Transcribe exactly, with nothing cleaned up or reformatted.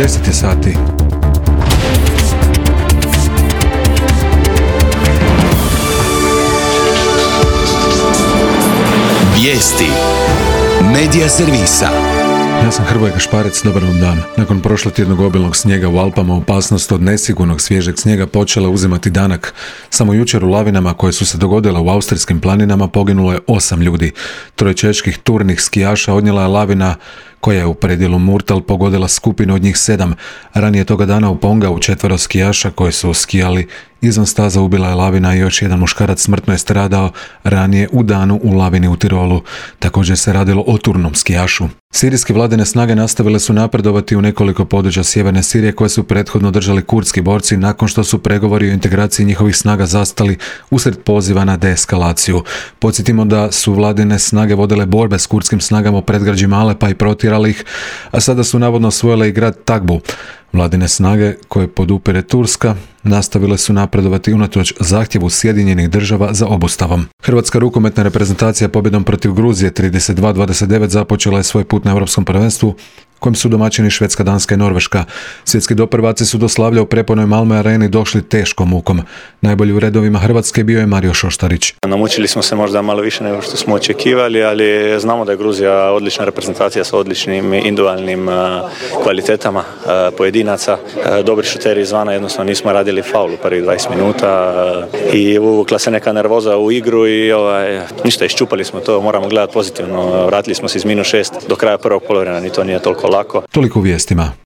deset je sati. Vijesti Medija servisa. Ja sam Hrvoje Gašparec, dobar vam dan. Nakon prošlotjednog obilnog snijega u Alpama, opasnost od nesigurnog svježeg snijega počela uzimati danak. Samo jučer u lavinama koje su se dogodile u austrijskim planinama poginulo je osam ljudi. Troje čeških turnih skijaša odnijela je lavina koja je u predjelu Murtal pogodila skupinu od njih sedam. Ranije toga dana u Pongau četvero skijaša koji su skijali izvan staza ubila je lavina i još jedan muškarac smrtno je stradao ranije u danu u lavini u Tirolu. Također se radilo o turnom skijašu. Sirijske vladine snage nastavile su napredovati u nekoliko područja sjeverne Sirije koje su prethodno držali kurdski borci nakon što su pregovori o integraciji njihovih snaga zastali usred poziva na deeskalaciju. Podsjetimo da su vladine snage vodile borbe s kurdskim snagama u predgrađima Alepa i protjerali ih, a sada su navodno osvojile i grad Tagbu. Vladine snage, koje podupire Turska, nastavile su napredovati unatoč zahtjevu Sjedinjenih država za obustavom. Hrvatska rukometna reprezentacija pobjedom protiv Gruzije trideset dva dvadeset devet započela je svoj put na Europskom prvenstvu, kojim su domaćini Švedska, Danska i Norveška. Svjetski doprvaci su do slavlja u prepunoj Malmö areni došli teškom mukom. Najbolji u redovima Hrvatske bio je Mario Šoštarić. Namučili smo se možda malo više nego što smo očekivali, ali znamo da je Gruzija odlična reprezentacija sa odličnim individualnim kvalitetama pojedinaca. Dobri šuteri izvana, jednostavno nismo radili faul u prvih dvadeset minuta i uvukla se neka nervoza u igru i ovaj, ništa, iščupali smo to, moramo gledati pozitivno. Vratili smo se iz minus šest do kraja prvog poluvremena, ni to nije toliko lako. Toliko u vijestima.